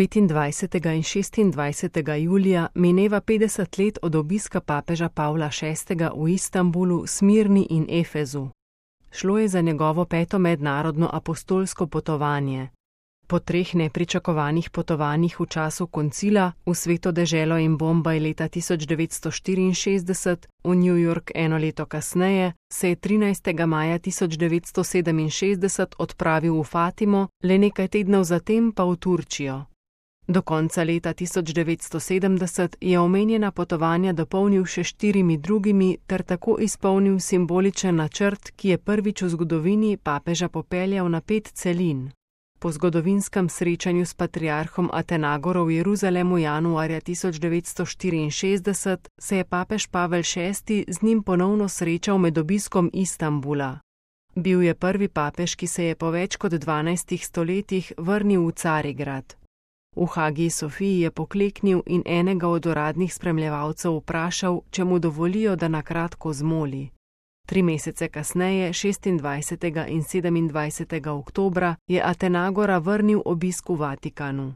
25. in 26. julija mineva 50 let od obiska papeža Pavla VI. V Istanbulu, Smirni in Efezu. Šlo je za njegovo 5. mednarodno apostolsko potovanje. Po 3 nepričakovanih potovanjih v času koncila v Sveto deželo in Bombaj leta 1964, v New York eno leto kasneje, se je 13. maja 1967 odpravil v Fatimo, le nekaj tednov zatem pa v Turčijo. Do konca leta 1970 je omenjena potovanja dopolnil še 4 drugimi ter tako izpolnil simboličen načrt, ki je prvič v zgodovini papeža popeljal na 5 celin. Po zgodovinskem srečanju s patriarhom Atenagorom v Jeruzalemu januarja 1964 se je papež Pavel VI. Z njim ponovno srečal med obiskom Istanbula. Bil je prvi papež, ki se je po več kot 12 stoletjih vrnil v Carigrad. V Hagiji Sofiji je pokleknil in enega od uradnih spremljevalcev vprašal, če mu dovolijo, da na kratko zmoli. 3 mesece kasneje, 26. in 27. oktobra, je Atenagora vrnil obisk v Vatikanu.